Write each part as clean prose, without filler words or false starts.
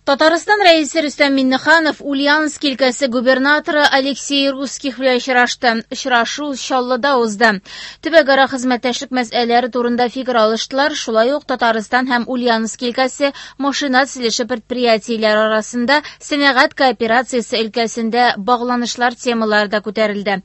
Татарстан Рәисе Рөстәм Миңнеханов Ульяновск өлкәсе губернаторы Алексей Русских белән очрашты. Очрашу Чаллыда узды. Төбәкара хезмәттәшлек мәсьәләләре турында фикер алыштылар, шулай ук Татарстан һәм Ульяновск өлкәсе машина төзелеше предприятиеләре арасында сәнәгать кооперациясе өлкәсендә багланышлар темалары да күтәрелде.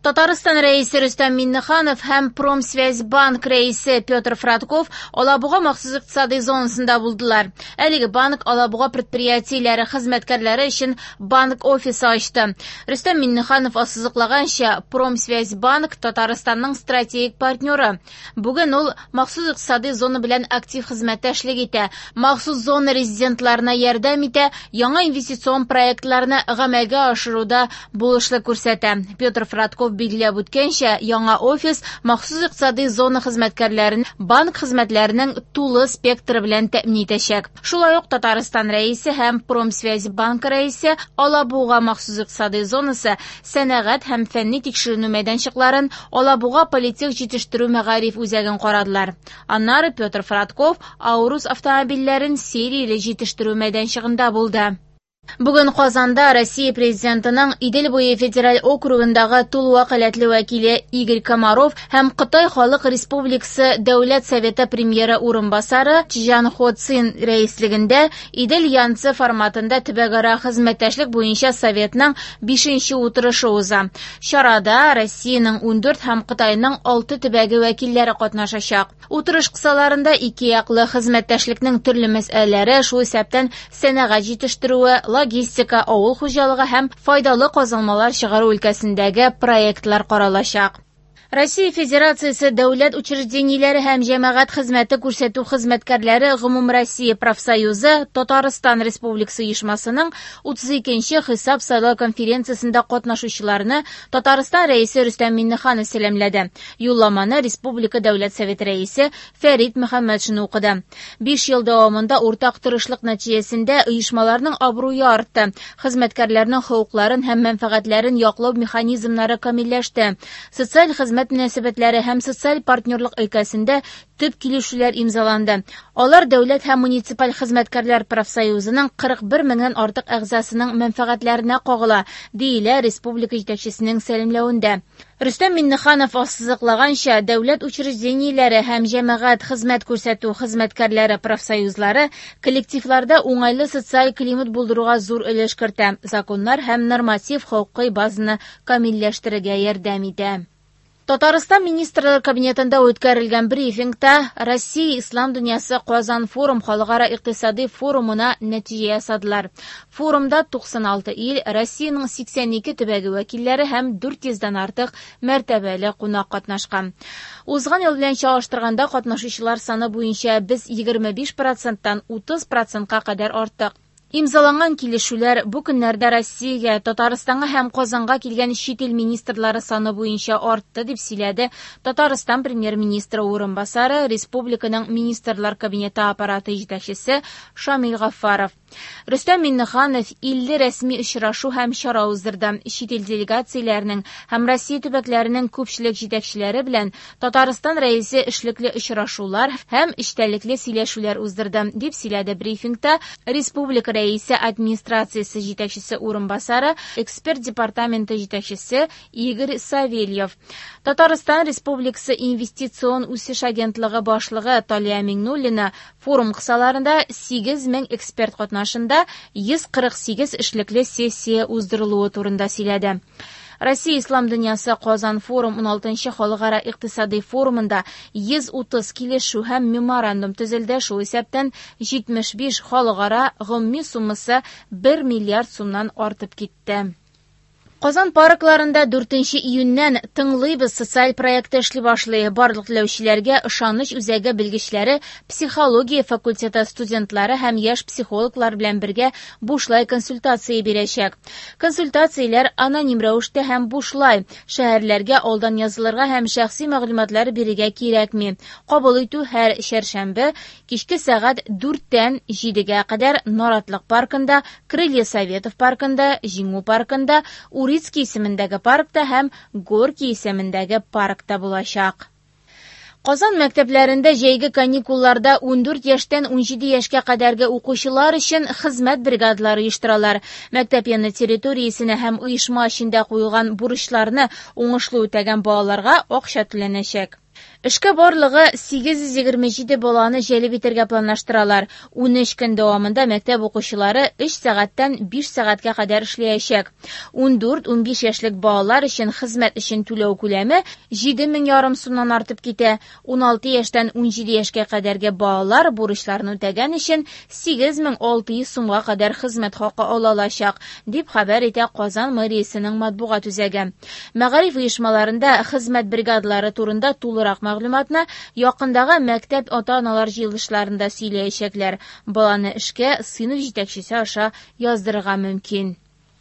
Татарстан Рәисе Рөстәм Миңнеханов һәм Промсвязьбанк рәисе Петр Фрадков Алабуга махсус икътисади зонасында булдылар. Әлеге банк Алабуга предприятиеләре хезмәткәрләре өчен банк офисы ачты. Рөстәм Миңнеханов ассызыклаганча, Промсвязьбанк Татарстанның стратегик партнеры. Бүген ул махсус икътисади зона белән актив хезмәттәшлек итә, махсус зона резидентларына ярдәм итә, яңа инвестицион проектларны гамәлгә ашыруда булышлык күрсәтә. Петр Фрадков билгеләп үткәнчә, яңа офис махсус икътисади зона хезмәткәрләрен банк хезмәтләренең тулы спектры белән тәэмин итәчәк. Шулай ук Татарстан Рәисе һәм Промсвязьбанк рәисе Алабуга махсус икътисади зонасы сәнәгать һәм фәнни тикшеренү мәйданчыкларын, Алабуга политех җитештерү мәгариф үзәген карадылар. Аннары Петр Фрадков Аурус автомобильләрен серияле җитештерү мәйданчыгында булды. Бүген Казанда Россия Президентының Идел буе федераль округындагы тулы вәкаләтле вәкиле Игорь Комаров һәм Кытай Халык Республикасы Дәүләт Советы премьеры урынбасары Чжан Хо Цин рәислегендә Идел-Янцзы форматында төбәкара хезмәттәшлек буенча Советның бишенче утырышы уза. Чарада Россиянең 14 һәм Кытайның 6 төбәге вәкилләре катнашачак. Утырыш кысаларында ике яклы хезмәттәшлекнең төрле мәсьәләләре, шул исәптән сәнәгать җитештерүе, логистика, авыл хуҗалыгы һәм файдалы казылмалар чыгару өлкәсендәге проектлар каралачак. Россия Федерациясе дәүләт учреждениеләре һәм җәмәгать хезмәте күрсәтү хезмәткәрләре Гомумроссия профсоюзы Татарстан Республикасы оешмасының 32 нче хисап-сайлау конференциясендә катнашучыларны Татарстан Рәисе Рөстәм Миңнеханов сәламләде. Юлламаны республика Дәүләт Советы Рәисе Фәрит Мөхәммәтшин укыды. Биш ел дәвамында уртак тырышлык нәтиҗәсендә оешмаларның абруе артты, хезмәткәрләрнең хокукларын һәм мәнфәгатьләрен яклау механизмнары камилләште. Социаль хезмәт мөнәсәбәтләре һәм социаль партнерлык өлкәсендә төп килешүләр имзаланды. Алар дәүләт һәм муниципаль хезмәткәрләр профсоюзының 41 меңнән артык әгъзасының мәнфәгатьләренә кагыла, диелә республика җитәкчесенең сәламләвендә. Рөстәм Миңнеханов ассызыклаганча, дәүләт учреждениеләре һәм җәмәгать хезмәт күрсәтү хезмәткәрләре профсоюзлары коллективларда уңайлы социаль климат булдыруга зур өлеш кертә, законнар һәм норматив хокукый базаны камилләштерергә ярдәм итә. Татарстан Министрлар Кабинетында үткәрелгән брифингта Россия Ислам дөньясы Казан форум халыкара икътисади форумына нәтиҗә ясадылар. Форумда 96 ил, Россиянең 82 төбәге вәкилләре һәм 400 дән артык мәртәбәле кунак катнашкан. Узган ел белән чагыштырганда катнашучылар саны буенча без 25 проценттан 30 процентка кадәр арттык. Имзаланган килешүләр бу көннәрдә Россиягә, Татарстанга һәм Казанга килгән чит ил министрлары саны буенча артты, дип сөйләде Татарстан премьер-министры урынбасары, республиканың Министрлар Кабинеты аппараты җитәкчесе Шамил Гафаров. Рөстәм Миңнеханов 50 рәсми очрашу һәм чара уздырды. Чит ил делегацияләренең һәм Россия төбәкләренең күпчелек җитәкчеләре белән Татарстан Рәисе эшлекле очрашулар һәм эчтәлекле сөйләшүләр уздырды, дип сөйләде брифингта республика Рәисе администрациясе җитәкчесе урынбасары, эксперт департаменты җитәкчесе Игорь Савельев. Татарстан Республикасы Инвестицион үсеш агентлыгы башлыгы Талия Миңнуллина форум кысаларында 8 мең эксперт катнашында 148 эшлекле сессия уздырылуы турында сөйләде. Россия Ислам дөньясы Казан форум 16 халыкара икътисади форумында 130 килешү һәм меморандум төзелде, шул исәптән 75 халыкара гомуми суммасы 1 миллиард сумнан артып китте. Казан паркларында 4 июньнән Тыңлыйбыз социаль проекты эшли башлый. Барлык теләүчеләргә ышаныч үзәге белгечләре, психология факультеты студентлары һәм яшь психологлар белән бергә бушлай консультация бирәчәк. Консультацияләр аноним рәвештә һәм бушлай. Шәһәрләргә алдан язылырга һәм шәхси мәгълүматлар бирергә кирәкми. Кабул итү һәр чәршәмбе кичке сәгать 4-тән 7-гә кадәр Наратлык паркында, Крылья Советов паркында, Җиңү паркында, Урицкий исемендәге паркта һәм Горький исемендәге паркта булачак. Казан мәктәпләрендә җәйге каникулларда 14 яшьтән 17 яшькә кадәрге укучылар өчен хезмәт бригадалары оештыралар. Мәктәп яны территориясенә һәм оешма эчендә куелган бурычларны уңышлы үтәгән балаларга акча түләнәчәк. Эшкә барлыгы 827 баланы җәлеп итәргә планлаштыралар. 13 көн дәвамында мәктәп укучылары 3 сәгатьтән 5 сәгатькә кадәр эшләячәк. 14-15 яшьлек балалар өчен хезмәт өчен түләү күләме 7 мең сумнан артып китә. 16 яшьтән 17 яшькә кадәрге балалар бурычларны үтәгән өчен 8600 сумга кадәр хезмәт хакы ала алачак, дип хәбәр итә Казан мэриясенең матбугат үзәге. Мәгариф оешмаларында хезмәт бригадалары турында тулырак мәгълүматны якындагы мәктәп ата-аналар җыелышларында сөйләячәкләр. Баланы эшкә сыйныф җитәкчесе аша яздырырга мөмкин.